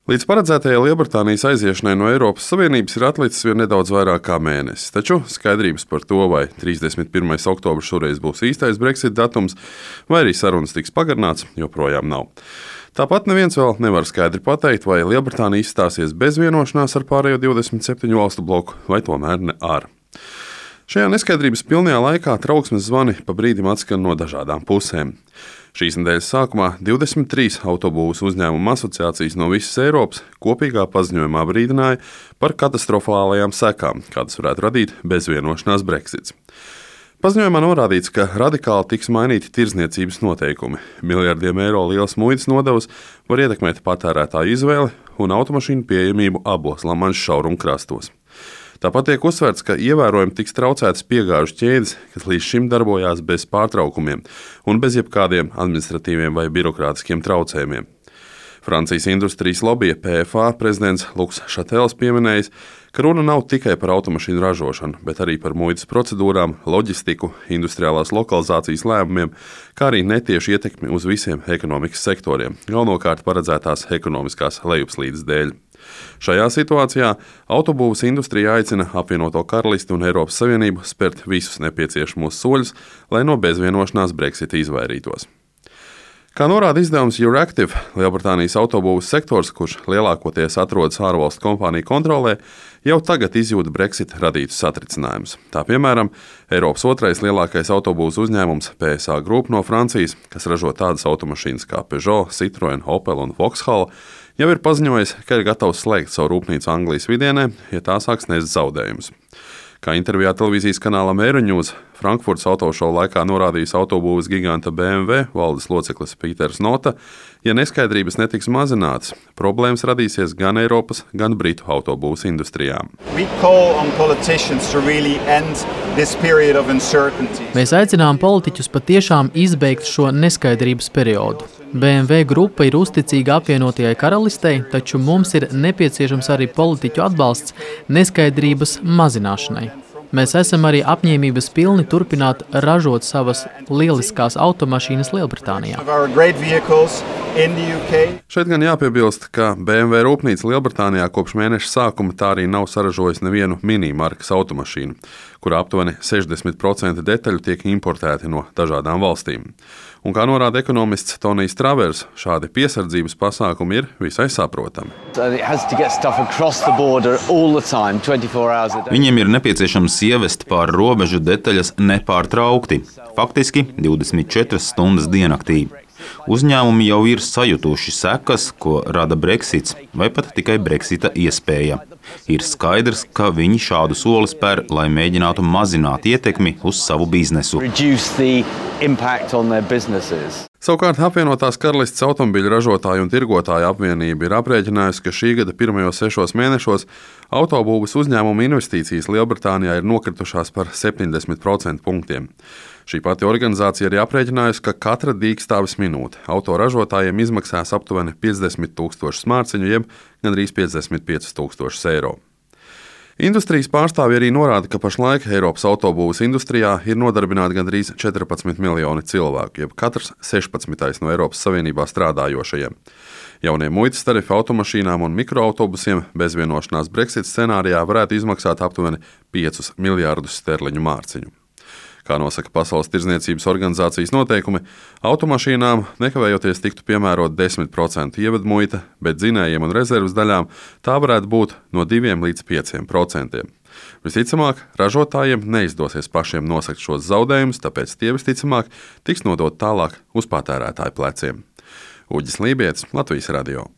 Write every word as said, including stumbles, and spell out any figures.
Līdz paredzētajai Lielbritānijas aiziešanai no Eiropas Savienības ir atlicis vien nedaudz vairāk kā mēnesis, taču skaidrības par to, vai trīsdesmit pirmais oktobris šoreiz būs īstais Brexit datums, vai arī sarunas tiks pagarināts, joprojām nav. Tāpat neviens vēl nevar skaidri pateikt, vai Lielbritānija izstāsies bez vienošanās ar pārējo divdesmit septiņu valstu bloku, vai tomēr ne ar. Šajā neskaidrības pilnajā laikā trauksmes zvani pa brīdim atskan no dažādām pusēm. Šīs nedēļas sākumā divdesmit trīs autobūvas uzņēmumu asociācijas no visas Eiropas kopīgā paziņojumā brīdināja par katastrofālajām sekām, kādas varētu radīt bezvienošanās Brexits. Paziņojumā norādīts, ka radikāli tiks mainīti tirdzniecības noteikumi. Miljardiem eiro liels muitas nodevas var ietekmēt patērētāju izvēli un automašīnu pieejamību abos Lamanša šaurumkrastos. Tāpat tiek uzsverts, ka ievērojami tiks traucētas piegāžu ķēdes, kas līdz šim darbojās bez pārtraukumiem un bez jebkādiem administratīviem vai birokrātiskiem traucējumiem. Francijas industrijas lobija P F A prezidents Luks Šatels pieminējis, ka runa nav tikai par automašīnu ražošanu, bet arī par muitas procedūrām, loģistiku, industriālās lokalizācijas lēmumiem, kā arī netiešu ietekmi uz visiem ekonomikas sektoriem, galvenokārt paredzētās ekonomiskās lejupslīdes dēļ. Šajā situācijā autobūvas industrija aicina apvienoto Karalisti un Eiropas Savienību spērt visus nepieciešamos soļus, lai no bezvienošanās Brexita izvairītos. Kā norāda izdevums Euractiv, Lielbritānijas autobūvas sektors, kurš lielākoties atrodas ārvalstu kompāniju kontrolē, jau tagad izjūta Brexit radītus satricinājumus. Tā piemēram, Eiropas otrais lielākais autobūvas uzņēmums P S A Group no Francijas, kas ražo tādas automašīnas kā Peugeot, Citroen, Opel un Vauxhall, jau ir paziņojis, ka ir gatavs slēgt savu rūpnīcu Anglijas vidienē, ja tā sāks nest zaudējumus. Kā intervijā televīzijas kanālam Euronews Frankfurtas autošovu laikā norādījis autobūvas giganta B M W valdes loceklis Pīters Nota, ja neskaidrības netiks mazinātas, problēmas radīsies gan Eiropas, gan Britu autobūvas industrijām. Really Mēs aicinām politiķus patiešām izbeigt šo neskaidrības periodu. B M W grupa ir uzticīga apvienotajai karalistei, taču mums ir nepieciešams arī politiķu atbalsts neskaidrības mazināšanai. Mēs esam arī apņēmības pilni turpināt ražot savas lieliskās automašīnas Lielbritānijā. Šeit gan jāpiebilst, ka B M W rūpnīca Lielbritānijā kopš mēneša sākuma tā arī nav saražojusi nevienu mini-markas automašīnu, kurā aptuveni sešdesmit procenti detaļu tiek importēti no dažādām valstīm. Un kā norāda ekonomists Tonijs Travers, šādi piesardzības pasākumi ir visai saprotami. Viņiem ir nepieciešams ievest pāri robežu detaļas nepārtraukti, faktiski divdesmit četras stundas diennaktī. Uzņēmumi jau ir sajutuši sekas, ko rada Brexits, vai pat tikai Brexita iespēja. Ir skaidrs, ka viņi šādu soli spēr, lai mēģinātu mazināt ietekmi uz savu biznesu. Savukārt apvienotās karalistes automobiļu ražotāju un tirgotāju apvienība ir aprēķinājusi, ka šī gada pirmajos sešos mēnešos autobūvas uzņēmumu investīcijas Lielbritānijā ir nokritušās par septiņdesmit procentu punktiem. Šī pati organizācija arī aprēķinājusi, ka katra dīkstāves minūte autoražotājiem izmaksās aptuveni piecdesmit tūkstošus mārciņu, jeb gandrīz piecdesmit piecus tūkstošus eiro. Industrijas pārstāvji arī norāda, ka pašlaik Eiropas autobūvas industrijā ir nodarbināti gandrīz četrpadsmit miljoni cilvēku, jeb katrs sešpadsmitais no Eiropas Savienībā strādājošajiem. Jaunie muitas tarifi automašīnām un mikroautobusiem bezvienošanās Brexit scenārijā varētu izmaksāt aptuveni piecus miljārdus sterliņu mārciņu. Kā nosaka Pasaules tirdzniecības organizācijas noteikumi, automašīnām nekavējoties tiktu piemērot desmit procentu ievedmuita, bet dzinējiem un rezerves daļām tā varētu būt no diviem līdz pieciem procentiem. Visticamāk, ražotājiem neizdosies pašiem nosakt šos zaudējumus, tāpēc tie visticamāk tiks nodot tālāk uz patērētāju pleciem. Uģis Lībietis, Latvijas radio.